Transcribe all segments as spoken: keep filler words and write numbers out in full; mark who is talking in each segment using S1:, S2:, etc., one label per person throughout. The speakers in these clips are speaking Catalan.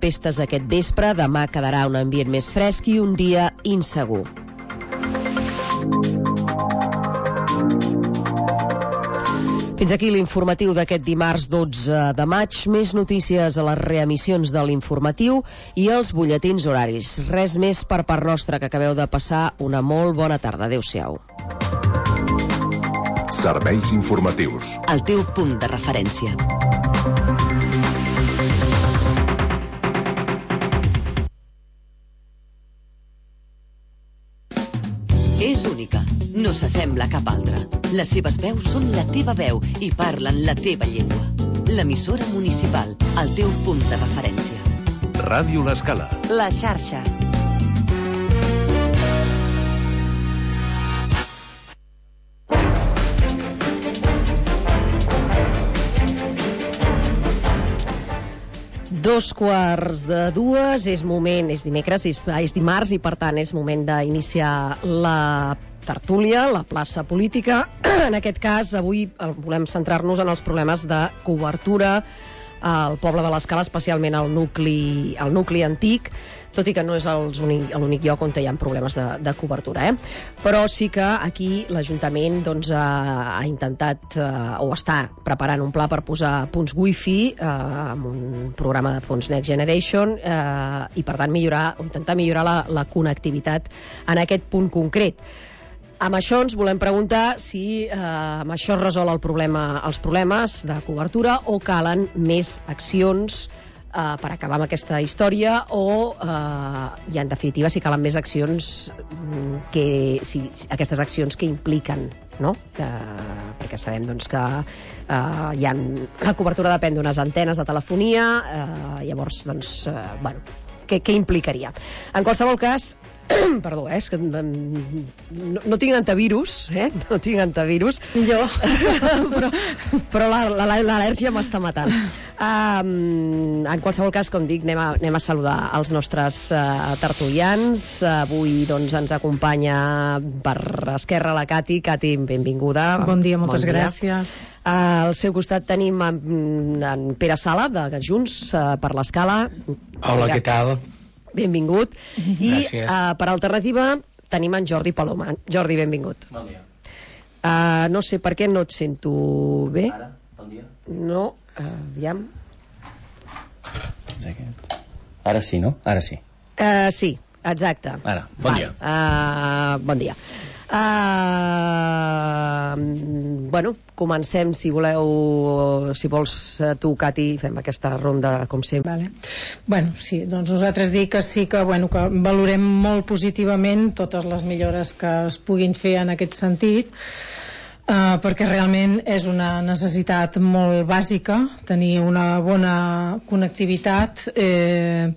S1: tempestes aquest vespre. Demà quedarà un ambient més fresc i un dia insegur. Fins aquí l'informatiu d'aquest dimarts dotze de maig. Més notícies a les reemissions de l'informatiu i els butlletins horaris. Res més per part nostra, que acabeu de passar una molt bona tarda. Adéu-siau.
S2: Serveis informatius.
S3: El teu punt de referència. És única, no s'assembla a cap altra. Les seves veus són la teva veu i parlen la teva llengua. L'emissora municipal, el teu punt de referència.
S2: Ràdio L'Escala.
S3: La xarxa.
S1: Dos quarts de dues, és moment, és dimecres, és, és dimarts i per tant és moment d'iniciar la tertúlia, la plaça política. En aquest cas, avui volem centrar-nos en els problemes de cobertura al poble de l'Escala, especialment al nucli, al nucli antic, tot i que no és l'únic lloc on hi ha problemes de, de cobertura. Eh? Però sí que aquí l'Ajuntament doncs, ha, ha intentat eh, o està preparant un pla per posar punts wifi eh, amb un programa de fons Next Generation eh, i per tant millorar, o intentar millorar la, la connectivitat en aquest punt concret. Amb això ens volem preguntar si eh, amb això es resol el problema, els problemes de cobertura o calen més accions eh, per acabar amb aquesta història o, eh, i en definitiva, si calen més accions, que, si, aquestes accions que impliquen, no? Eh, perquè sabem doncs, que eh, hi ha, la cobertura depèn d'unes antenes de telefonia, eh, llavors, doncs, eh, bueno, què, què implicaria? En qualsevol cas, perdó, eh, és que no, no tinc antivirus, eh? No tinc antivirus.
S4: Jo.
S1: però però l'al·lèrgia m'està matant. Um, en qualsevol cas, com dic, anem a, anem a saludar els nostres uh, tertulians. Avui doncs, ens acompanya per Esquerra la Cati. Cati, benvinguda.
S4: Bon dia, moltes
S1: bon dia.
S4: gràcies.
S1: Uh, al seu costat tenim en, en Pere Sala, de Junts uh, per l'Escala.
S5: Hola, què tal?
S1: Benvingut. I
S5: uh,
S1: per alternativa tenim en Jordi Paloma. Jordi, benvingut.
S5: Bon dia.
S1: Uh, no sé per què no et sento bé.
S5: Ara, bon dia.
S1: No, uh, aviam.
S5: Ara sí, no? Ara sí.
S1: Uh, sí, exacte.
S5: Ara, bon
S1: vale.
S5: dia.
S1: Uh, bon dia. Uh, bueno, comencem, si voleu, si vols tu, Cati, fem aquesta ronda com sempre.
S4: Vale. Bueno, sí, doncs nosaltres dic que sí que, bueno, que valorem molt positivament totes les millores que es puguin fer en aquest sentit, uh, perquè realment és una necessitat molt bàsica tenir una bona connectivitat, eh,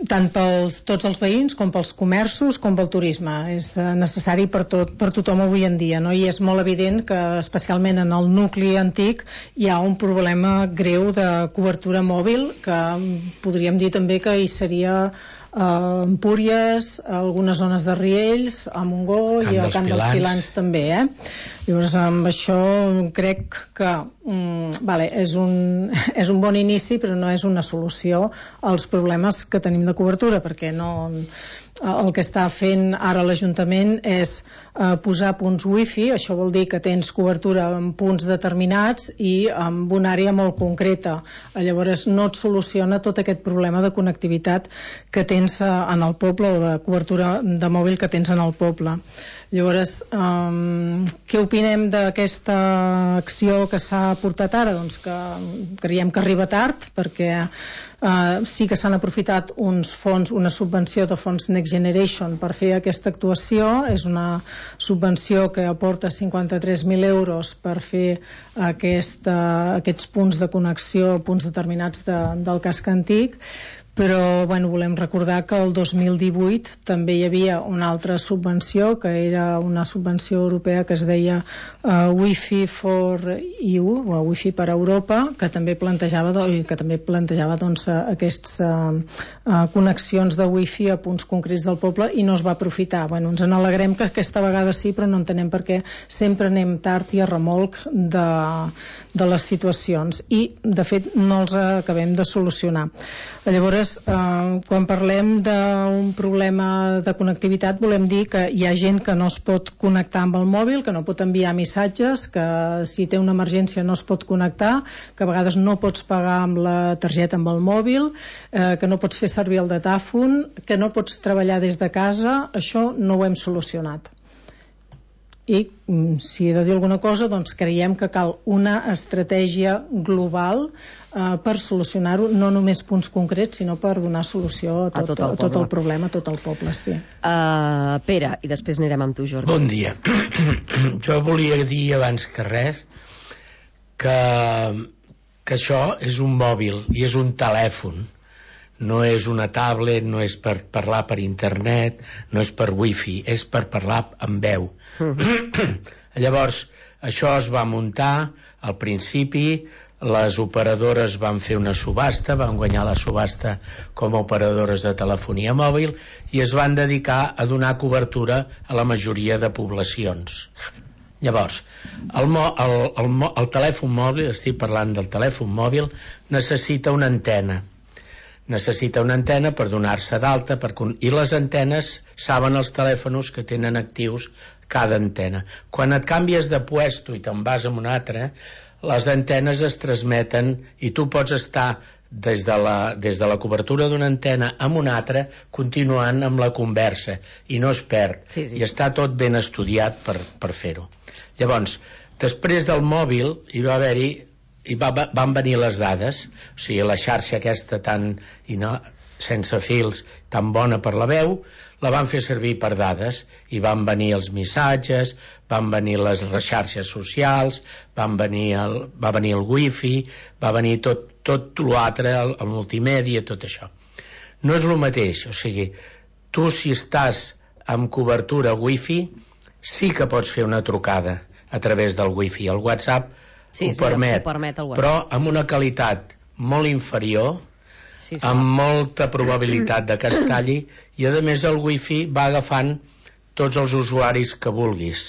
S4: tant pels tots els veïns com pels comerços com pel turisme. És necessari per, tot, per tothom avui en dia, no? I és molt evident que especialment en el nucli antic hi ha un problema greu de cobertura mòbil, que podríem dir també que hi seria a Empúries, a algunes zones de Riells, a Montgó i al Camp dels Pilans també, eh? Llavors amb això crec que mm, vale, és, un, és un bon inici, però no és una solució als problemes que tenim de cobertura, perquè no, el que està fent ara l'Ajuntament és eh, posar punts wifi. Això vol dir que tens cobertura en punts determinats i amb una àrea molt concreta. Llavors no et soluciona tot aquest problema de connectivitat que tens en el poble o de cobertura de mòbil que tens en el poble. Llavors, um, què opinem d'aquesta acció que s'ha portat ara? Doncs que creiem que arriba tard, perquè uh, sí que s'han aprofitat uns fons, una subvenció de fons Next Generation per fer aquesta actuació. És una subvenció que aporta cinquanta-tres mil euros per fer aquesta, aquests punts de connexió, punts determinats de, del casc antic. Però bueno, volem recordar que el dos mil divuit també hi havia una altra subvenció, que era una subvenció europea que es deia uh, Wi-Fi for E U, o Wi-Fi per a Europa, que també plantejava, que també plantejava doncs, a aquestes uh, uh, connexions de wifi a punts concrets del poble i no es va aprofitar. Bueno, ens en alegrem que aquesta vegada sí, però no entenem per què sempre anem tard i a remolc de, de les situacions i de fet no els acabem de solucionar. Llavors, uh, quan parlem d'un problema de connectivitat volem dir que hi ha gent que no es pot connectar amb el mòbil, que no pot enviar missatges, que si té una emergència no es pot connectar, que a vegades no pots pagar amb la targeta amb el mòbil, eh, que no pots fer servir el datàfon, que no pots treballar des de casa. Això no ho hem solucionat. I si he de dir alguna cosa, doncs creiem que cal una estratègia global eh, per solucionar-ho, no només punts concrets, sinó per donar solució a tot, a tot, el, a tot el problema, a tot el poble, sí.
S1: Uh, Pere, i després anirem amb tu, Jordi.
S6: Bon dia. Jo volia dir abans que res que, que això és un mòbil i és un telèfon. No és una tablet, no és per parlar per internet, no és per wifi, és per parlar amb veu. Mm-hmm. Llavors, això es va muntar al principi, les operadores van fer una subhasta, van guanyar la subhasta com a operadores de telefonia mòbil i es van dedicar a donar cobertura a la majoria de poblacions. Llavors, el, mo, el, el, el telèfon mòbil, estic parlant del telèfon mòbil, necessita una antena. Necessita una antena per donar-se d'alta per... i les antenes saben els telèfons que tenen actius cada antena. Quan et canvies de puesto i te'n vas a un altre, les antenes es transmeten i tu pots estar des de la, des de la cobertura d'una antena a una altra continuant amb la conversa i no es perd. Sí, sí. I està tot ben estudiat per, per fer-ho. Llavors, després del mòbil hi va haver-hi i va, van venir les dades, o sigui, la xarxa aquesta tan, i no, sense fils, tan bona per la veu, la van fer servir per dades, i van venir els missatges, van venir les, les xarxes socials, van venir el, va venir el wifi, va venir tot, tot l'altre, el, el multimèdia, tot això. No és el mateix, o sigui, tu si estàs amb cobertura wifi, sí que pots fer una trucada a través del wifi, el WhatsApp Sí, ho, sí, permet, ho permet el però amb una qualitat molt inferior, sí, sí, amb molta probabilitat de que es talli, i a més el wifi va agafant tots els usuaris que vulguis.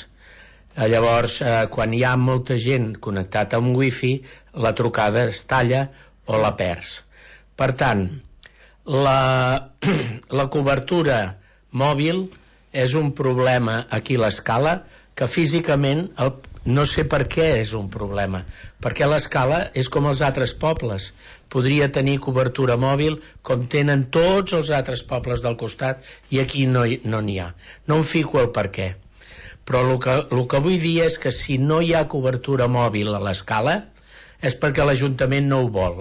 S6: Llavors, eh, quan hi ha molta gent connectada amb wifi, la trucada es talla o la perds. Per tant, la, la cobertura mòbil és un problema aquí a l'Escala que físicament el no sé per què és un problema, perquè l'Escala és com els altres pobles, podria tenir cobertura mòbil com tenen tots els altres pobles del costat i aquí no, no n'hi ha. No em fico el per què, però el que, el que vull dir és que si no hi ha cobertura mòbil a l'Escala és perquè l'Ajuntament no ho vol,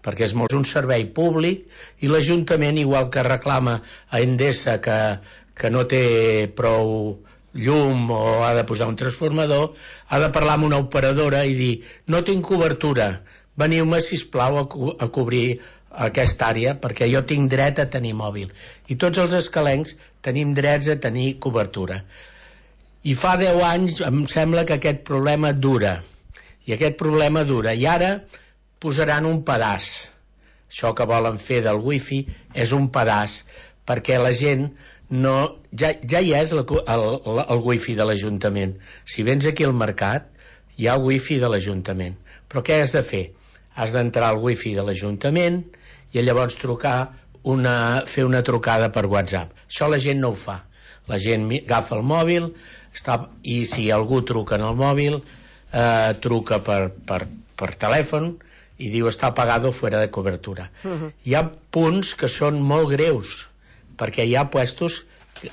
S6: perquè és un servei públic i l'Ajuntament, igual que reclama a Endesa que, que no té prou llum o ha de posar un transformador, ha de parlar amb una operadora i dir, no tinc cobertura, veniu-me sisplau a, co a cobrir aquesta àrea perquè jo tinc dret a tenir mòbil. I tots els escalencs tenim drets a tenir cobertura. I fa deu anys em sembla que aquest problema dura, i aquest problema dura, i ara posaran un pedaç. Això que volen fer del wifi és un pedaç, perquè la gent no, ja, ja hi és el, el, el wifi de l'Ajuntament. Si vens aquí al mercat hi ha wifi de l'Ajuntament, però què has de fer? Has d'entrar al wifi de l'Ajuntament i llavors trucar una, fer una trucada per WhatsApp. Això la gent no ho fa. La gent agafa el mòbil està, i si algú truca en el mòbil eh, truca per, per, per telèfon i diu està apagado fuera de cobertura. Uh-huh. Hi ha punts que són molt greus perquè hi ha puestos,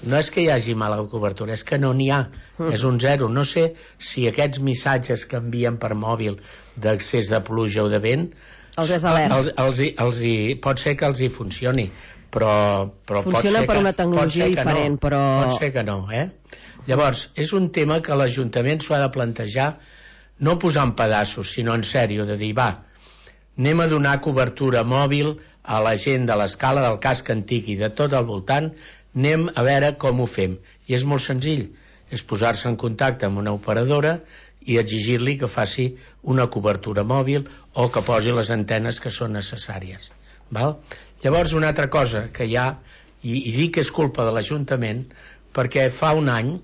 S6: no és que hi hagi mala cobertura, és que no n'hi ha, mm. és un zero. No sé si aquests missatges que envien per mòbil d'accés de pluja o de vent
S1: els és alert.
S6: Els, els, els, els hi, pot ser que els hi funcioni, però, però
S1: funciona
S6: pot ser
S1: per
S6: que,
S1: una tecnologia diferent,
S6: no,
S1: però...
S6: pot ser que no, eh? Llavors, és un tema que l'Ajuntament s'ho ha de plantejar, no posar en pedaços, sinó en sèrio, de dir, va, anem a donar cobertura mòbil a la gent de l'Escala, del casc antic i de tot al voltant, anem a veure com ho fem. I és molt senzill, és posar-se en contacte amb una operadora i exigir-li que faci una cobertura mòbil o que posi les antenes que són necessàries. Val? Llavors, una altra cosa que hi ha, i, i dic que és culpa de l'Ajuntament, perquè fa un any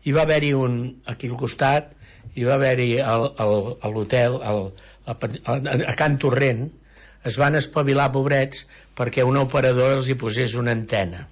S6: hi va haver-hi un, aquí al costat, hi va haver-hi a l'hotel, a Can Torrent, es van espavilar, pobrets, perquè un operador els hi posés una antena.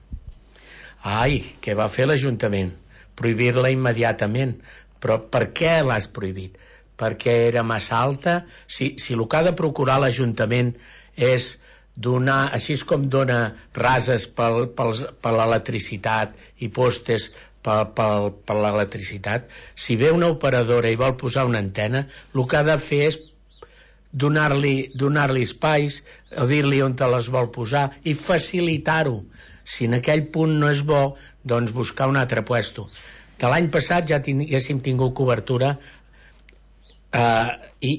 S6: Ai, què va fer l'Ajuntament? Prohibir-la immediatament. Però per què l'has prohibit? Perquè era massa alta? Si, si el que ha de procurar l'Ajuntament és donar, així com dona rases pel, pel, per l'electricitat i postes per, per, per l'electricitat, si ve una operadora i vol posar una antena, el que ha de fer és donar-li donar-li espais, o dir-li on te les vol posar i facilitar-ho. Si en aquell punt no és bo, doncs buscar un altre puesto. De l'any passat ja haguéssim tingut cobertura, eh, i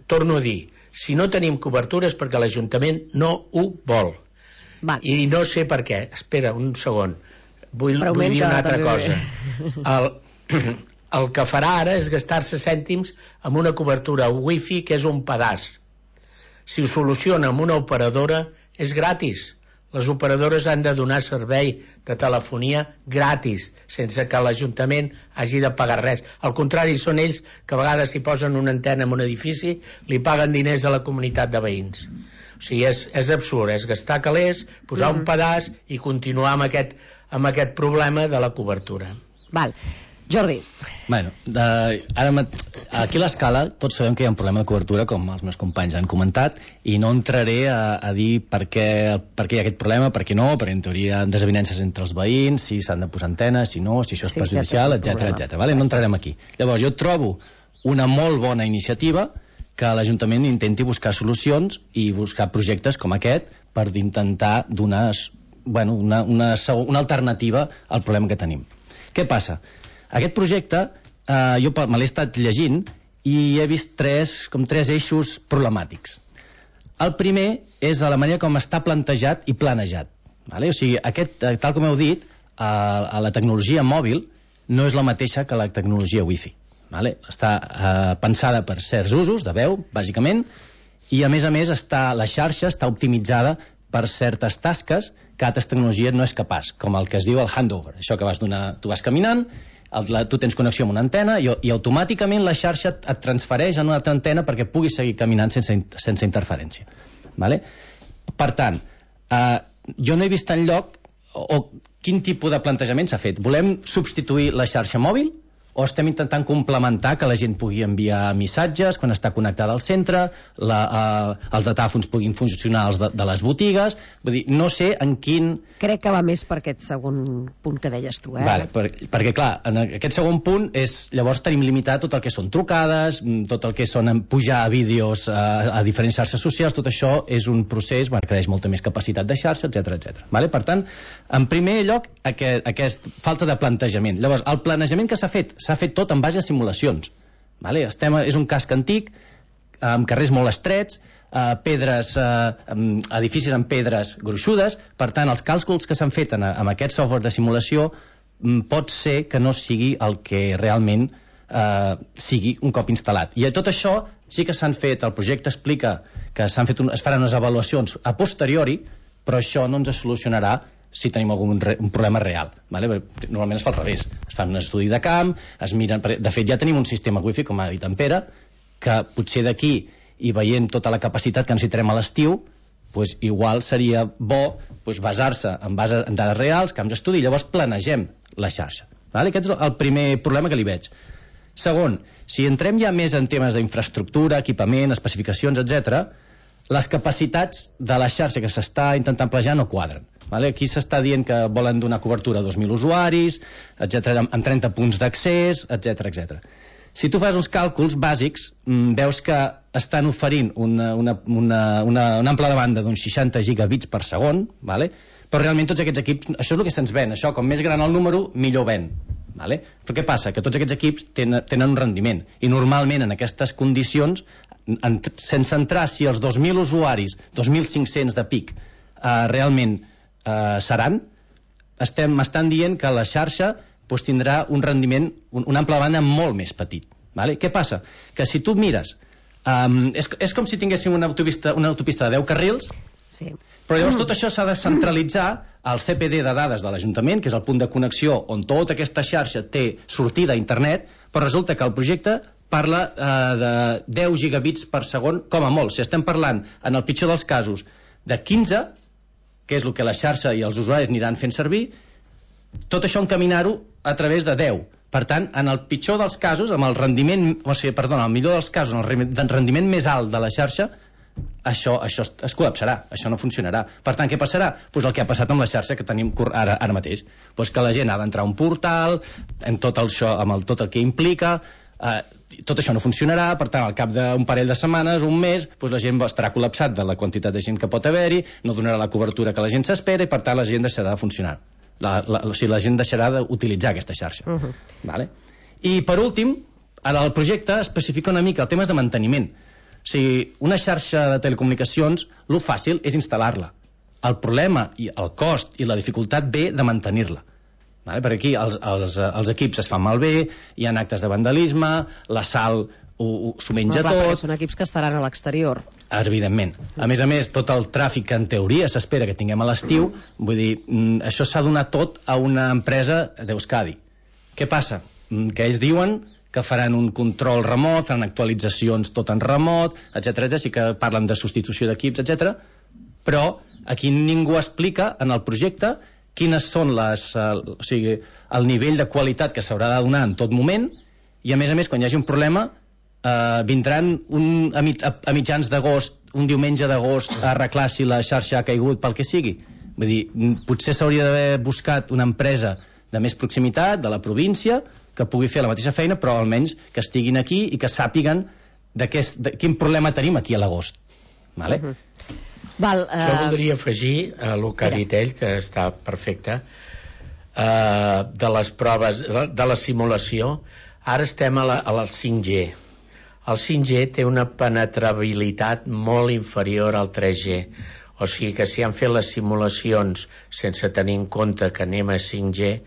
S6: torno a dir, si no tenim cobertura és perquè l'Ajuntament no ho vol.
S1: Val.
S6: I no sé per què. Espera un segon, vull, vull dir una altra cosa. El, el que farà ara és gastar-se cèntims amb una cobertura wifi que és un pedaç. Si ho soluciona amb una operadora és gratis. Les operadores han de donar servei de telefonia gratis, sense que l'Ajuntament hagi de pagar res. Al contrari, són ells que a vegades si posen una antena en un edifici li paguen diners a la comunitat de veïns. O sigui, és, és absurd, és gastar calés, posar mm. un pedaç i continuar amb aquest, amb aquest problema de la cobertura.
S1: Val. Jordi.
S5: Bueno, de, ara, aquí a l'Escala tots sabem que hi ha un problema de cobertura, com els meus companys han comentat, i no entraré a, a dir per què, per què hi ha aquest problema, per què no, perquè en teoria hi ha desavinences entre els veïns, si s'han de posar antenes, si no, si això és sí, perjudicial, etcètera, etcètera. Vale? No entrarem aquí. Llavors, jo trobo una molt bona iniciativa que l'Ajuntament intenti buscar solucions i buscar projectes com aquest per intentar donar, bueno, una, una, una alternativa al problema que tenim. Què passa? Aquest projecte, eh, jo me l'he estat llegint i he vist tres, com tres eixos problemàtics. El primer és la manera com està plantejat i planejat. Vale? O sigui, aquest, tal com heu dit, a, a la tecnologia mòbil no és la mateixa que la tecnologia wifi. Vale? Està eh, pensada per certs usos de veu, bàsicament, i a més a més està, la xarxa està optimitzada per certes tasques que altres tecnologies no és capaç, com el que es diu el handover. Això que vas donar, tu vas caminant, el, la, tu tens connexió amb una antena i, i automàticament la xarxa et, et transfereix a una altra antena perquè puguis seguir caminant sense, sense interferència. Vale? Per tant, eh, jo no he vist enlloc o, o quin tipus de plantejament s'ha fet. Volem substituir la xarxa mòbil o estem intentant complementar que la gent pugui enviar missatges quan està connectada al centre, la, eh, els datàfons puguin funcionar els de, de les botigues. Vull dir, no sé en quin...
S1: Crec que va més per aquest segon punt que deies tu, eh?
S5: Vale, per, perquè clar, en aquest segon punt és, llavors tenim limitat tot el que són trucades, tot el que són pujar vídeos a, a diferents xarxes socials, tot això és un procés, bueno, que creix molta més capacitat de xarxa, etcètera, etcètera. Vale? Per tant, en primer lloc, aquest, aquest falta de plantejament. Llavors, el planejament que s'ha fet s'ha fet tot en base a simulacions. Vale? Estem, és un casc antic, amb carrers molt estrets, eh, pedres, eh, edificis amb pedres gruixudes, per tant, els càlculs que s'han fet en, en aquest software de simulació pot ser que no sigui el que realment eh, sigui un cop instal·lat. I tot això sí que s'han fet, el projecte explica que s'han fet un, es faran unes avaluacions a posteriori, però això no ens solucionarà si tenim algun re, un problema real. Vale? Normalment es fa al revés. Es fa un estudi de camp, es miren... De fet, ja tenim un sistema wifi, com ha dit en Pere, que potser d'aquí, i veient tota la capacitat que necessitarem a l'estiu, pues, igual seria bo pues, basar-se en, base, en dades reals, camps d'estudi, i llavors planegem la xarxa. Vale? Aquest és el primer problema que li veig. Segon, si entrem ja més en temes d'infraestructura, equipament, especificacions, etcètera, les capacitats de la xarxa que s'està intentant planejar no quadren. Vale? Aquí s'està dient que volen donar cobertura a dos mil usuaris, etcètera, amb trenta punts d'accés, etcètera, etcètera. Si tu fas uns càlculs bàsics, veus que estan oferint una, una, una, una, una ampla de banda d'uns seixanta gigabits per segon, vale? Però realment tots aquests equips, això és el que se'ns ven, això, com més gran el número, millor ven. Vale? Però què passa? Que tots aquests equips tenen, tenen un rendiment, i normalment en aquestes condicions, en, sense entrar si els dos mil usuaris, dos mil cinc-cents de pic, eh, realment eh, seran, estem, m'estan dient que la xarxa pues, tindrà un rendiment, un, una ampla banda molt més petit. Vale? Què passa? Que si tu mires, um, és, és com si tinguéssim una autopista, una autopista de deu carrils
S1: Sí.
S5: Però llavors tot això s'ha de centralitzar al C P D de dades de l'Ajuntament, que és el punt de connexió on tota aquesta xarxa té sortida a internet, però resulta que el projecte parla eh, de deu gigabits per segon com a molt. Si estem parlant, en el pitjor dels casos, de quinze, que és el que la xarxa i els usuaris aniran fent servir, tot això encaminar-ho a través de deu. Per tant, en el pitjor dels casos, amb el rendiment, o sigui, perdona, el millor dels casos, en el rendiment més alt de la xarxa, això, això es col·lapsarà, això no funcionarà. Per tant, què passarà? Pues el que ha passat amb la xarxa que tenim ara, ara mateix. Pues que la gent ha d'entrar a un portal, amb tot, el això, amb el, tot el que implica, eh, tot això no funcionarà, per tant, al cap d'un parell de setmanes, un mes, pues la gent estarà col·lapsat de la quantitat de gent que pot haver-hi, no donarà la cobertura que la gent s'espera i, per tant, la gent deixarà de funcionar. La, la, o sigui, la gent deixarà d'utilitzar aquesta xarxa. Uh -huh. Vale? I per últim, ara el projecte especifica una mica el tema de manteniment. O sigui, una xarxa de telecomunicacions, lo fàcil és instal·lar-la. El problema i el cost i la dificultat ve de mantenir-la. Vale? Per aquí els, els, els equips es fan malbé, hi ha actes de vandalisme, la sal s'ho menja
S1: no, clar,
S5: tot.
S1: Són equips que estaran a l'exterior.
S5: Evidentment. A més a més, tot el tràfic que en teoria s'espera que tinguem a l'estiu, vull dir, això s'ha donat tot a una empresa d'Euskadi. Què passa? Que ells diuen que faran un control remot, faran actualitzacions tot en remot, etcètera, etcètera, sí que parlen de substitució d'equips, etcètera, però aquí ningú explica en el projecte quines són les, o sigui, el nivell de qualitat que s'haurà de donar en tot moment, i a més a més, quan hi hagi un problema, Uh, vindran un, a, mit, a, a mitjans d'agost, un diumenge d'agost, a arreglar si la xarxa ha caigut pel que sigui. Vull dir, potser s'hauria d'haver buscat una empresa de més proximitat, de la província, que pugui fer la mateixa feina, però almenys que estiguin aquí i que sàpiguen de, què, de quin problema tenim aquí a l'agost. Vale? Uh -huh.
S1: Val, uh...
S6: Jo voldria afegir a el que ha dit ell, que està perfecte, uh, de les proves, de, de la simulació. Ara estem a la, a la cinc G. El cinc G té una penetrabilitat molt inferior al tres G. O sigui que si han fet les simulacions sense tenir en compte que anem a cinc G,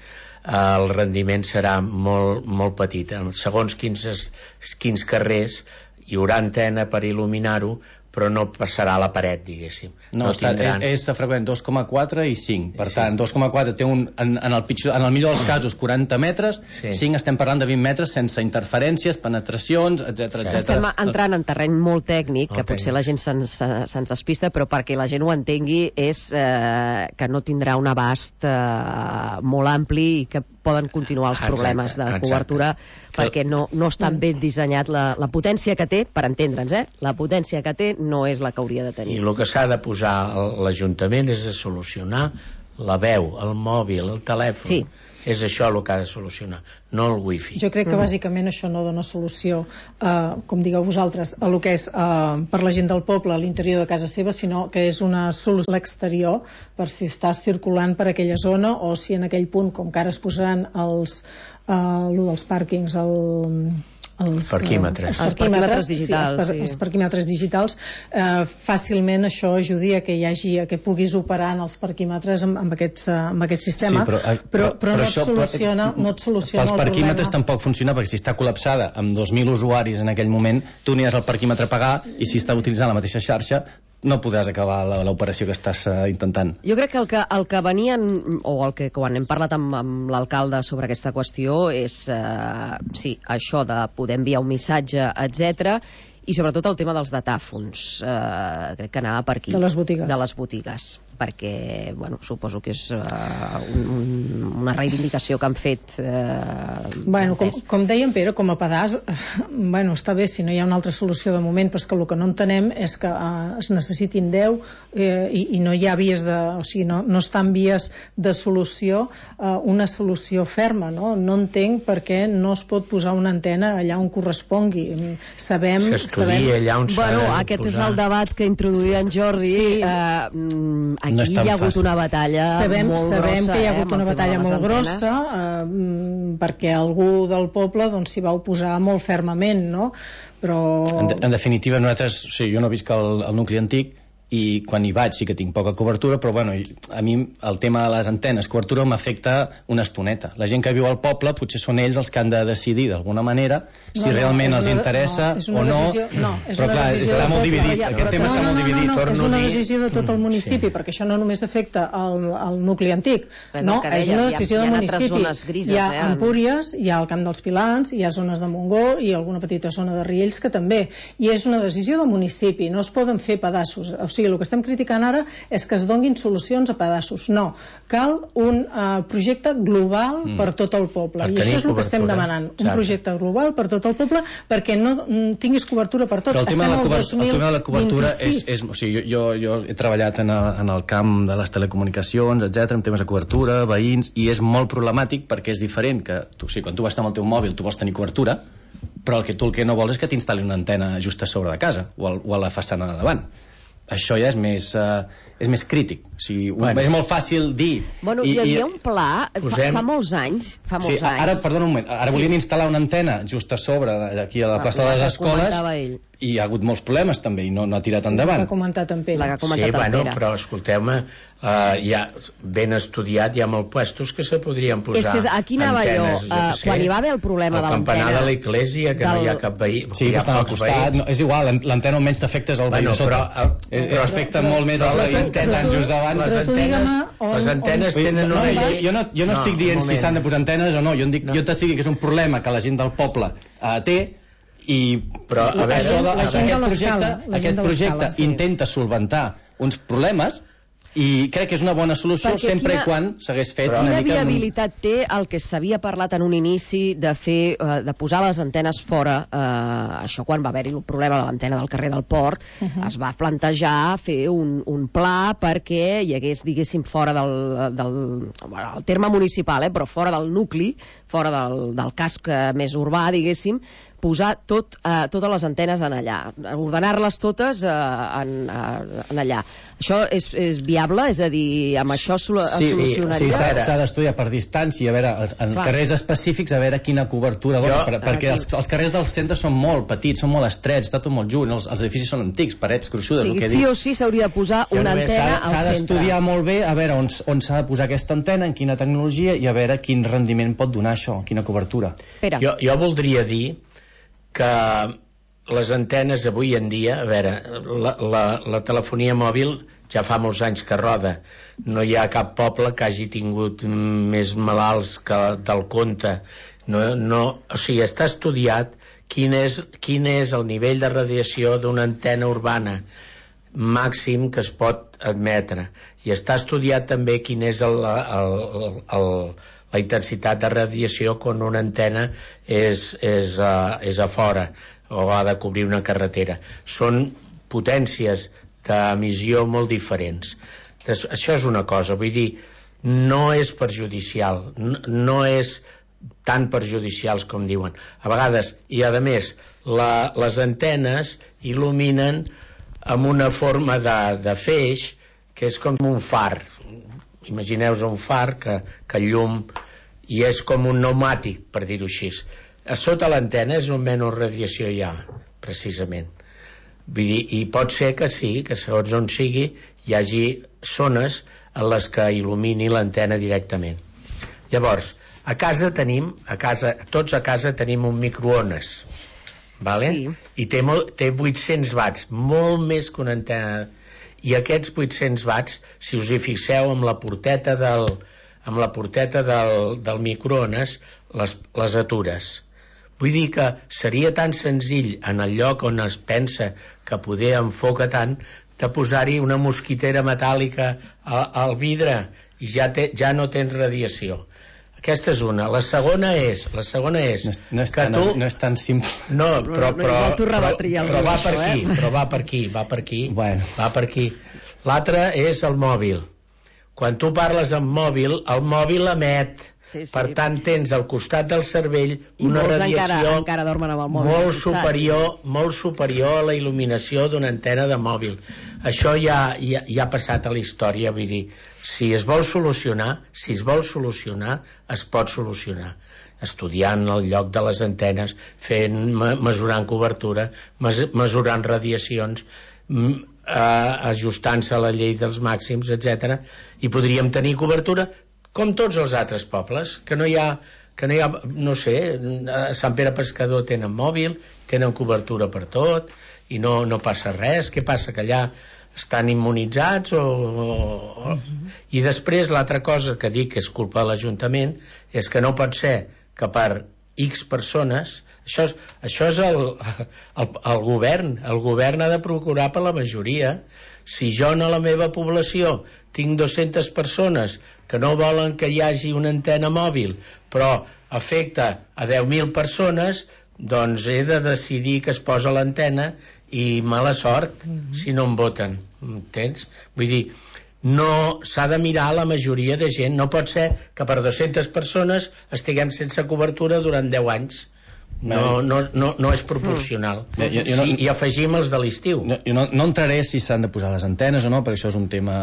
S6: el rendiment serà molt, molt petit. Segons quins, quins carrers hi haurà antena per il·luminar-ho, però no passarà a la paret, diguéssim.
S5: No, no està, tindran... és, és freqüent dos coma quatre i cinc. Per sí. tant, dos coma quatre té un, en, en, el pitjor, en el millor dels casos quaranta metres, sí. cinc estem parlant de vint metres sense interferències, penetracions, etcètera, etcètera.
S1: Estem entrant en terreny molt tècnic,
S5: molt
S1: que potser
S5: tècnic.
S1: la gent se'ns se despista, però perquè la gent ho entengui és eh, que no tindrà un abast eh, molt ampli i que poden continuar els problemes exacte, de exacte. cobertura perquè no, no està ben dissenyat la, la potència que té, per entendre'ns, eh? La potència que té no és la que hauria de tenir.
S6: I el que s'ha de posar l'Ajuntament és de solucionar la veu, el mòbil, el telèfon.
S1: Sí.
S6: És això el que ha de solucionar, no el wifi.
S4: Jo crec que bàsicament això no dona solució, eh, com digueu vosaltres, a lo que és eh, per la gent del poble a l'interior de casa seva, sinó que és una solució a l'exterior per si estàs circulant per aquella zona o si en aquell punt, com que ara es posaran els, eh, lo dels pàrquings, el...
S6: els parquímetres,
S1: els parquímetres digitals,
S4: sí, els, par
S1: sí.
S4: els parquímetres digitals eh, fàcilment això ajudi a que hi hagi, a que puguis operar en els parquímetres amb, amb, aquests, amb aquest sistema,
S5: sí, però,
S4: però, però, però no,
S5: això,
S4: et soluciona,
S5: però,
S4: no et soluciona
S5: pels
S4: el problema.
S5: parquímetres tampoc funciona, perquè si està col·lapsada amb dos mil usuaris en aquell moment, tu aniràs al parquímetre a pagar i si està utilitzant la mateixa xarxa no podràs acabar l'operació que estàs uh, intentant.
S1: Jo crec que el, que el que venien, o el que quan hem parlat amb, amb l'alcalde sobre aquesta qüestió és, eh, sí, això de poder enviar un missatge, etcètera, i sobretot el tema dels datàfons. Eh, crec que anava per aquí.
S4: De les botigues.
S1: De les botigues, perquè, bueno, suposo que és uh, un, una reivindicació que han fet. Eh,
S4: bueno, com, com deia en Pere, com a pedaç, bueno, està bé si no hi ha una altra solució de moment, però és que el que no entenem és que uh, es necessitin deu eh, i, i no hi ha vies de... O sigui, no, no estan vies de solució, uh, una solució ferma, no? No entenc per què no es pot posar una antena allà on correspongui. Sabem...
S6: S'estudia allà on s'ha
S1: bueno,
S6: de
S1: aquest
S6: posar.
S1: és el debat que introduïa en Jordi.
S4: Sí.
S1: Eh, aquí
S5: no
S1: hi ha hagut
S5: fàcil.
S1: una batalla
S4: sabem,
S1: molt
S4: sabem
S1: grossa.
S4: que hi ha hagut
S1: eh,
S4: una batalla molt grossa eh, perquè algú del poble doncs, s'hi va oposar molt fermament, no? Però...
S5: En, de, en definitiva, nosaltres, o sigui, jo no visc al, al nucli antic i quan hi vaig sí que tinc poca cobertura, però bueno, a mi el tema de les antenes, cobertura m'afecta una estoneta. La gent que viu al poble potser són ells els que han de decidir d'alguna manera si no, no, realment els una, interessa no, o no,
S4: decisió, no és
S5: però clar, està molt dividit,
S1: però,
S5: aquest tema
S4: no,
S5: està
S4: no,
S5: molt
S4: no,
S5: dividit.
S4: No, no, no, és una decisió de tot el municipi,
S5: sí.
S4: perquè això no només afecta el, el nucli antic,
S1: és
S4: no,
S1: deia,
S4: és una decisió
S1: hi ha,
S4: del
S1: hi ha
S4: municipi.
S1: grises,
S4: hi ha
S1: eh,
S4: Empúries, hi ha el Camp dels Pilans, hi ha zones de Montgó i alguna petita zona de Riells que també, i és una decisió del municipi, no es poden fer pedaços, o sigui, el que estem criticant ara és que es donguin solucions a pedaços. No, cal un uh, projecte global mm. per tot el poble. Per I això és el que estem demanant. Exacte. Un projecte global per tot el poble perquè no tinguis cobertura per tot.
S5: Però el tema, de la, cobert el tema de la cobertura és, és... O sigui, jo, jo he treballat en el, en el camp de les telecomunicacions, etcètera, en temes de cobertura, veïns, i és molt problemàtic perquè és diferent que tu, o sigui, quan tu vas estar amb el teu mòbil tu vols tenir cobertura, però el que tu el que no vols és que t'instal·li una antena just a sobre de casa o, al, o a la façana de davant. Això ja és més, uh, és més crític. O sigui, bueno. És molt fàcil dir...
S1: Bueno, hi havia un pla
S6: posem...
S1: fa, fa molts anys. Fa molts
S5: sí, ara,
S1: anys.
S5: perdona un moment, ara sí. volien instal·lar una antena just a sobre, aquí a la plaça de les Escoles, i hi ha hagut molts problemes també, i no, no ha tirat
S4: sí,
S5: endavant.
S4: La que ha comentat en Pere.
S1: La que ha comentat
S6: sí,
S1: en
S6: bueno,
S1: Pere.
S6: però escolteu-me, uh, ja ben estudiat, hi ha molts puestos que se podrien posar.
S1: És que aquí anava
S6: antenes,
S1: jo, uh, quan hi va haver el problema
S6: el
S1: de l'antena...
S6: El campanar de l'església, que del... no hi ha cap veí.
S5: Sí, que estan al costat, no, és igual, l'antena almenys t'afecta és el veí
S6: bueno,
S5: de sota.
S6: Però,
S5: és, però afecta molt més els veïns que estan just davant.
S6: Les antenes, les antenes tenen
S5: no,
S6: una
S5: llei... Jo no, jo no, no estic dient si s'han de posar antenes o no, jo, dic,
S6: no.
S5: jo t'estic dient que és un problema que la gent del poble uh, té, i
S6: però a veure,
S5: això de,
S4: la gent
S5: aquest
S4: de
S5: projecte, aquest projecte sí. intenta solventar uns problemes i crec que és una bona solució
S1: perquè
S5: sempre
S1: quina,
S5: i quan s'hagués fet
S1: però,
S5: una
S1: quina
S5: mica...
S1: Quina viabilitat té el que s'havia parlat en un inici de fer, uh, de posar les antenes fora, uh, això quan va haver-hi el problema de l'antena del carrer del Port, uh -huh. es va plantejar fer un, un pla perquè hi hagués, diguéssim, fora del, del bueno, el terme municipal, eh, però fora del nucli, fora del, del casc més urbà, diguéssim, posar tot, uh, totes les antenes en allà, ordenar-les totes uh, en, uh, en allà. Això és, és viable? És a dir, amb això sol
S5: sí,
S1: solucionaria?
S5: Sí, s'ha d'estudiar per distància, a veure, en Clar. carrers específics, a veure quina cobertura dona, per, perquè els, els carrers del centre són molt petits, són molt estrets, està tot molt junt, els, els edificis són antics, parets gruixudes,
S1: o sigui,
S5: el que
S1: sí
S5: dic.
S1: o sí s'hauria de posar una antena al centre.
S5: S'ha d'estudiar molt bé a veure on, on s'ha de posar aquesta antena, en quina tecnologia, i a veure quin rendiment pot donar això, quina cobertura.
S1: Pere.
S6: Jo, jo voldria dir que les antenes avui en dia, a veure, la, la, la telefonia mòbil ja fa molts anys que roda. No hi ha cap poble que hagi tingut més malalts que del compte. No, no, o sigui, està estudiat quin és, quin és el nivell de radiació d'una antena urbana màxim que es pot admetre. I està estudiat també quin és el, el, el, el la intensitat de radiació quan una antena és, és, a, és a fora o ha de cobrir una carretera. Són potències d'emissió molt diferents. Des, això és una cosa, vull dir, no és perjudicial, no, no és tan perjudicials com diuen. A vegades, i a més, la, les antenes il·luminen amb una forma de, de feix que és com un far. Imagineu-vos un far que, que llum i és com un pneumàtic, per dir-ho així. A sota l'antena és on menys radiació hi ha, precisament. Vull dir, i pot ser que sí, que segons on sigui hi hagi zones en les que il·lumini l'antena directament. Llavors, a casa tenim, a casa, tots a casa tenim un microones, vale?
S1: Sí.
S6: I té, molt, té vuit-cents watts, molt més que una antena. I aquests vuit-cents watts, si us hi fixeu amb la porteta del, amb la porteta del, del microones, les, les atures. Vull dir que seria tan senzill en el lloc on es pensa que poder enfoca tant, de posar-hi una mosquitera metàl·lica al, al vidre i ja, te, ja no tens radiació. Aquesta és una. La segona és, la segona és,
S5: no és, no és
S6: que
S5: tan,
S6: tu...
S5: no és tan simple.
S6: No, però, però, però, però, però va per aquí,
S1: eh?
S6: però va per aquí, va per aquí,
S5: bueno.
S6: va per aquí. L'altre és el mòbil. Quan tu parles amb mòbil, el mòbil emet.
S1: Sí, sí.
S6: Per tant, tens al costat del cervell una radiació
S1: encara, encara dormen amb el mòbil
S6: molt superior, molt superior a la il·luminació d'una antena de mòbil. Això ja, ja, ja ha passat a la història, vull dir, si es vol solucionar, si es vol solucionar, es pot solucionar. Estudiant el lloc de les antenes, fent, mesurant cobertura, mesurant radiacions, eh, ajustant-se a la llei dels màxims, etcètera, i podríem tenir cobertura com tots els altres pobles, que no hi ha, que no hi ha, no sé, a Sant Pere Pescador tenen mòbil, tenen cobertura per tot, i no, no passa res. Què passa, que allà estan immunitzats o, o... I després l'altra cosa que dic que és culpa de l'Ajuntament és que no pot ser que per X persones, això és, això és el, el, el govern el govern ha de procurar per la majoria. Si jo en la meva població tinc dues-centes persones que no volen que hi hagi una antena mòbil però afecta a deu mil persones, doncs he de decidir que es posa l'antena i mala sort mm-hmm. si no em voten, entens? Vull dir, no s'ha de mirar la majoria de gent, no pot ser que per dues-centes persones estiguem sense cobertura durant deu anys. No, no, no, no és proporcional. Mm. Jo, jo no, sí, i afegim els de l'estiu.
S5: No, jo no, no entraré si s'han de posar les antenes o no, perquè això és un tema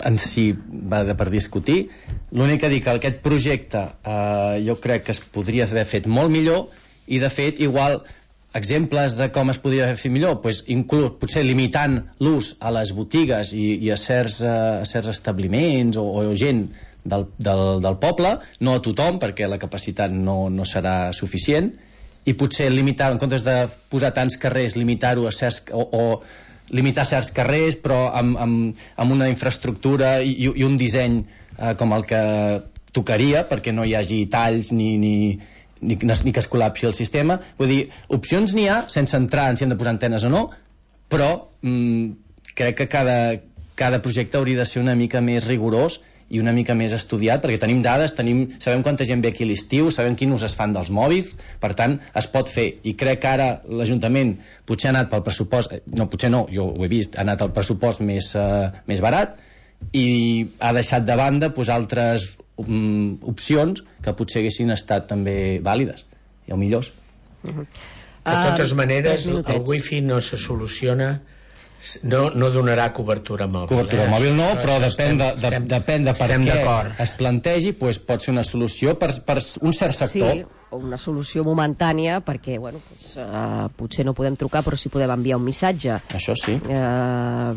S5: en si va de per discutir. L'únic que dic que aquest projecte eh, jo crec que es podria haver fet molt millor, i de fet igual exemples de com es podria haver fet millor, pues, inclús potser limitant l'ús a les botigues i, i a, certs, a certs establiments o, o gent del, del, del poble, no a tothom perquè la capacitat no, no serà suficient, i potser limitar, en comptes de posar tants carrers, limitar-ho a certs, o, o limitar certs carrers però amb, amb, amb una infraestructura i, i un disseny eh, com el que tocaria perquè no hi hagi talls ni, ni, ni, ni que es col·lapsi el sistema. Vull dir, opcions n'hi ha sense entrar en si hem de posar antenes o no, però mm, crec que cada, cada projecte hauria de ser una mica més rigorós i una mica més estudiat, perquè tenim dades, tenim, sabem quanta gent ve aquí a l'estiu, sabem quin ús es fan dels mòbils, per tant, es pot fer. I crec que ara l'Ajuntament potser ha anat pel pressupost, no, potser no, jo ho he vist, ha anat al pressupost més, uh, més barat, i ha deixat de banda pues, altres um, opcions que potser haguessin estat també vàlides, i o millors.
S6: Uh-huh. De totes uh, maneres, el wifi no se soluciona... No, no donarà cobertura mòbil.
S5: Cobertura
S6: eh?
S5: mòbil no,
S6: això,
S5: però
S6: això
S5: depèn, de, de,
S6: estem,
S5: depèn de per què es plantegi, pues, pot ser una solució per, per un cert sector.
S1: Sí, o una solució momentània, perquè bueno, pues, uh, potser no podem trucar, però sí podem enviar un missatge.
S5: Això sí.
S1: Uh,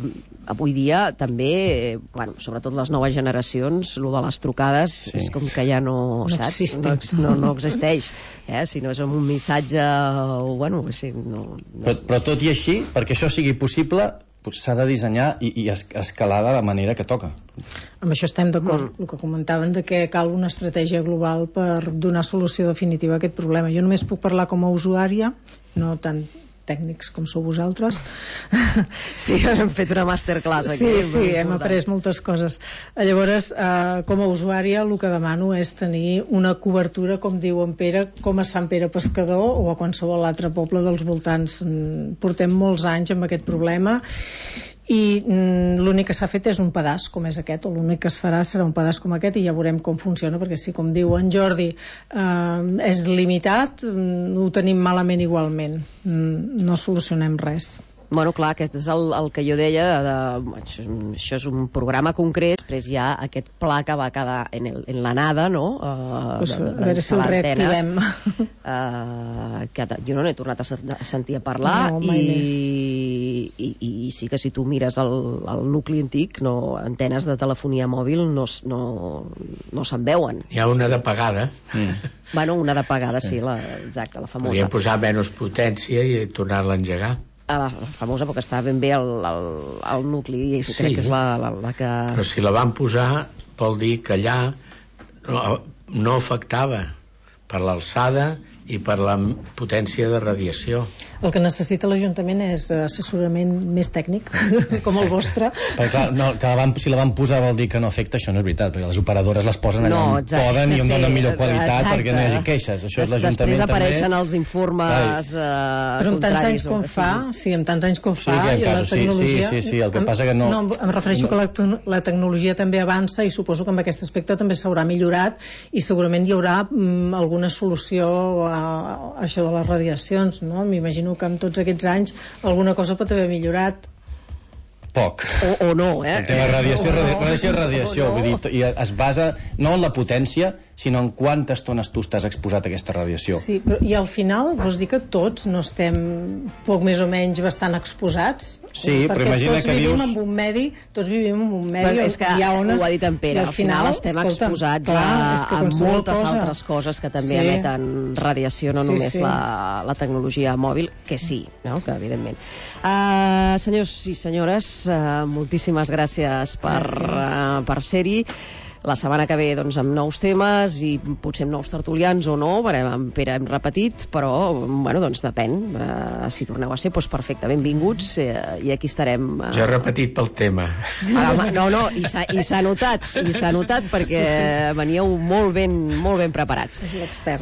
S1: avui dia també, eh, bueno, sobretot les noves generacions, lo de les trucades sí. és com que ja no,
S4: no
S1: saps? No, no, no existeix. Eh? Si no és amb un missatge, o, bueno, sí, no, no.
S5: Però, però tot i així, perquè això sigui possible, s'ha de dissenyar i, i escalar de la manera que toca.
S4: Amb això estem d'acord, mm. el que comentaven de que cal una estratègia global per donar solució definitiva a aquest problema. Jo només puc parlar com a usuària, no tant tècnics com sou vosaltres.
S1: Sí, hem fet una masterclass aquí.
S4: Sí, sí, hem après moltes coses. Llavors, eh, com a usuària, el que demano és tenir una cobertura, com diu en Pere, com a Sant Pere Pescador o a qualsevol altre poble dels voltants. Portem molts anys amb aquest problema i mm, l'únic que s'ha fet és un pedaç com és aquest, o l'únic que es farà serà un pedaç com aquest, i ja veurem com funciona, perquè si, com diu en Jordi, eh, és limitat, mm, ho tenim malament igualment, mm, no solucionem res.
S1: Bueno, clar, aquest és el, el que jo deia de, això, això és un programa concret, després hi ha aquest pla que va quedar en, el, en la nada, no? Uh,
S4: pues, de, de, a veure si el reactivem.
S1: Uh, que jo no n'he tornat a, a sentir a parlar,
S4: no,
S1: i, i, i sí que si tu mires el, el nucli antic, no, antenes de telefonia mòbil no, no, no se'n veuen.
S6: Hi ha una de pagada.
S1: Mm. Bueno, una de pagada, sí, la, exacte, la famosa.
S6: Podríem posar menys potència i tornar-la a engegar.
S1: A la famosa, perquè està ben bé el, el, el nucli, i sí, crec que és la, la, la que...
S6: Però si la van posar vol dir que allà no, no afectava per l'alçada i per la potència de radiació.
S4: El que necessita l'Ajuntament és assessorament més tècnic, com el vostre.
S5: Perquè clar, no, que la van, si la van posar vol dir que no afecta, això no és veritat, perquè les operadores les posen allà
S1: no,
S5: on
S1: exacte,
S5: poden i on
S1: sí,
S5: donen millor qualitat
S1: exacte.
S5: Perquè no hi hagi queixes. Això és l'Ajuntament
S1: Després apareixen
S5: també.
S1: Els informes eh,
S4: però amb tants anys com fa, sí, amb tants anys com fa,
S5: sí,
S4: i la tecnologia...
S5: Sí, sí, sí, el que passa que no...
S4: No, em refereixo no. que la, la tecnologia també avança i suposo que amb aquest aspecte també s'haurà millorat i segurament hi haurà mm, alguna solució a, a això de les radiacions, no? M'imagino que amb tots aquests anys alguna cosa pot haver millorat.
S5: Poc.
S1: O, o no, eh?
S5: El tema radiació,
S1: O no,
S5: radiació, radiació,
S1: o no.
S5: vull dir, i es basa no en la potència, sinó en quantes tones tu estàs exposat a aquesta radiació.
S4: Sí, però, i al final vols dir que tots no estem poc més o menys bastant exposats?
S5: Sí, però imagina
S4: tots
S5: que
S4: vivim
S5: dius...
S4: en un medi, tots vivim en un medi
S1: Bueno, és que
S4: hi ha ones,
S1: ho ha dit en Pere,
S4: i
S1: al final estem
S4: escolta'm,
S1: exposats
S4: clar,
S1: a,
S4: és que
S1: a
S4: qualsevol
S1: moltes
S4: cosa.
S1: altres coses que també
S4: Sí.
S1: emeten radiació, no
S4: Sí,
S1: només
S4: sí.
S1: La, la tecnologia mòbil, que sí, no? Que evidentment. Uh, senyors i senyores, uh, moltíssimes gràcies per, uh, per ser-hi. La setmana que ve, doncs, amb nous temes i potser amb nous tertulians o no, perquè amb Pere hem repetit, però, bueno, doncs depèn. Uh, si torneu a ser, doncs perfecte, benvinguts, uh, i aquí estarem. Uh...
S6: Jo he repetit pel tema.
S1: Ara, home, no, no, i s'ha i s'ha notat, i s'ha notat perquè
S4: Sí, sí.
S1: veníeu molt ben, molt ben preparats.
S4: És l'expert.